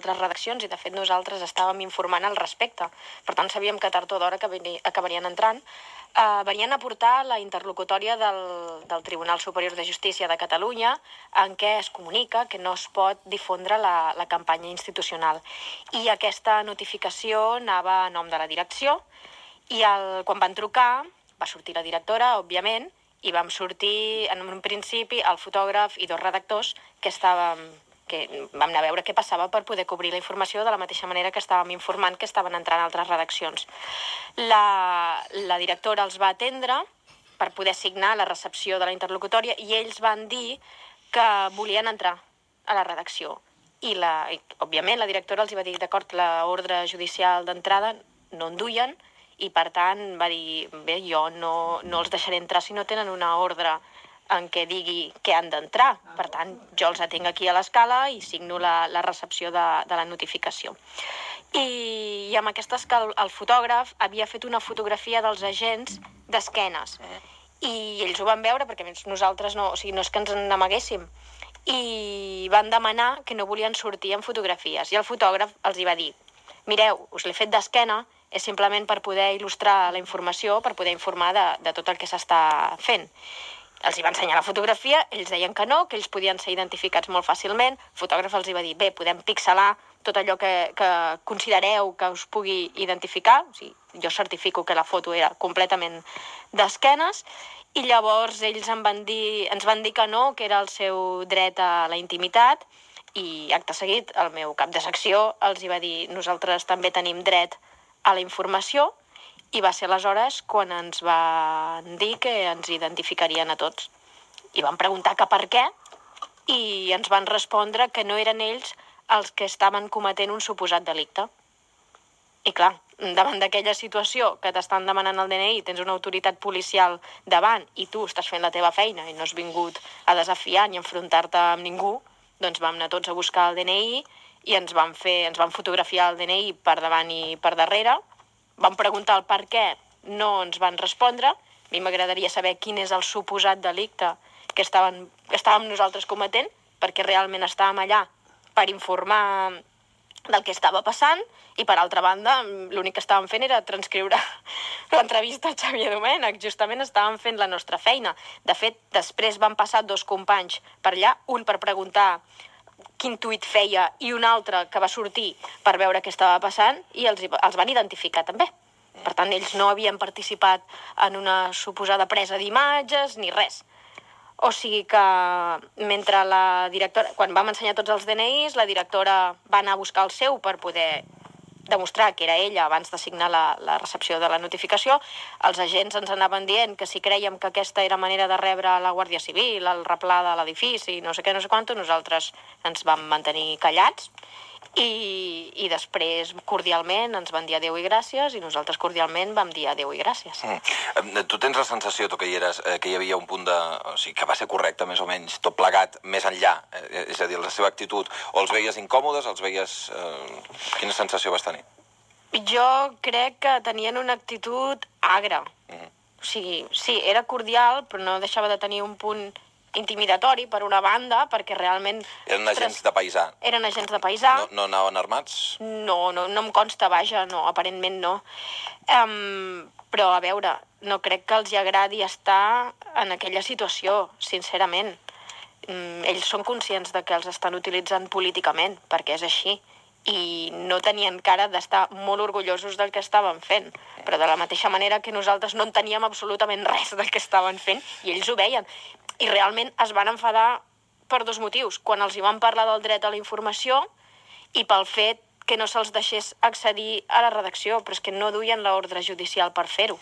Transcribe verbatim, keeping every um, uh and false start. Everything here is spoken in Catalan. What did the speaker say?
altres redaccions, i de fet nosaltres estàvem informant al respecte. Per tant, sabíem que tard o d'hora acabarien entrant. Uh, venien a portar la interlocutòria del, del Tribunal Superior de Justícia de Catalunya, en què es comunica que no es pot difondre la, la campanya institucional. I aquesta notificació anava a nom de la direcció, i el, quan van trucar va sortir la directora, òbviament, i vam sortir, en un principi, el fotògraf i dos redactors que estàvem... que vam anar a veure què passava per poder cobrir la informació de la mateixa manera que estàvem informant que estaven entrant altres redaccions. La, la directora els va atendre per poder signar la recepció de la interlocutòria i ells van dir que volien entrar a la redacció. I, la, i òbviament, la directora els va dir, d'acord, l'ordre judicial d'entrada no en duien, i per tant va dir, bé, jo no, no els deixaré entrar si no tenen una ordre en què digui que han d'entrar. Per tant, jo els atenc aquí a l'escala i signo la, la recepció de, de la notificació. I, i amb aquesta escala el fotògraf havia fet una fotografia dels agents d'esquenes. I ells ho van veure perquè nosaltres no, o sigui, no és que ens n'amaguéssim. I van demanar que no volien sortir en fotografies. I el fotògraf els hi va dir, mireu, us l'he fet d'esquena, és simplement per poder il·lustrar la informació, per poder informar de, de tot el que s'està fent. Els hi va ensenyar la fotografia, ells deien que no, que ells podien ser identificats molt fàcilment. El fotògraf els hi va dir, bé, podem pixelar tot allò que, que considereu que us pugui identificar. O sigui, jo certifico que la foto era completament d'esquenes, i llavors ells em van dir, ens van dir que no, que era el seu dret a la intimitat, i acte seguit el meu cap de secció els hi va dir, nosaltres també tenim dret a la informació, i va ser aleshores quan ens van dir que ens identificarien a tots. I van preguntar que per què, i ens van respondre que no eren ells els que estaven cometent un suposat delicte. I clar, davant d'aquella situació que t'estan demanant el D N I, tens una autoritat policial davant i tu estàs fent la teva feina i no has vingut a desafiar ni a enfrontar-te amb ningú, doncs vam anar tots a buscar el D N I i ens van, fer, ens van fotografiar el D N I per davant i per darrere. Vam preguntar el per què, no ens van respondre. A mi m'agradaria saber quin és el suposat delicte que estàvem, que estàvem nosaltres cometent, perquè realment estàvem allà per informar del que estava passant, i per altra banda l'únic que estàvem fent era transcriure l'entrevista a Xavier Domènech. Justament estàvem fent la nostra feina. De fet, després van passar dos companys per allà, un per preguntar quin tuit feia i un altre que va sortir per veure què estava passant, i els, els van identificar també. Per tant, ells no havien participat en una suposada presa d'imatges ni res. O sigui que mentre la directora, quan vam ensenyar tots els D N Is, la directora va anar a buscar el seu per poder demostrar que era ella abans de signar la, la recepció de la notificació. Els agents ens anaven dient que si creiem que aquesta era manera de rebre la Guàrdia Civil, el replà de l'edifici, no sé què, no sé quanto, nosaltres ens vam mantenir callats, i, i després cordialment ens van dir adéu i gràcies, i nosaltres cordialment vam dir adéu i gràcies. Mm. Tu tens la sensació, tu que hi eres, que hi havia un punt de... O sigui, que va ser correcte, més o menys, tot plegat, més enllà, eh, és a dir, la seva actitud, o els veies incòmodes, els veies... Eh, quina sensació vas tenir? Jo crec que tenien una actitud agra. Mm. O sigui, sí, era cordial, però no deixava de tenir un punt intimidatori, per una banda, perquè realment... Eren agents de paisà. Eren agents de paisà. No, no anaven armats? No, no, no em consta, vaja, no, aparentment no. Um, però, a veure, no crec que els hi agradi estar en aquella situació, sincerament. Um, ells són conscients de que els estan utilitzant políticament, perquè és així, i no tenien cara d'estar molt orgullosos del que estaven fent, però de la mateixa manera que nosaltres no en teníem absolutament res del que estaven fent, i ells ho veien. I realment es van enfadar per dos motius. Quan els hi van parlar del dret a la informació i pel fet que no se'ls deixés accedir a la redacció, però és que no duien l'ordre judicial per fer-ho.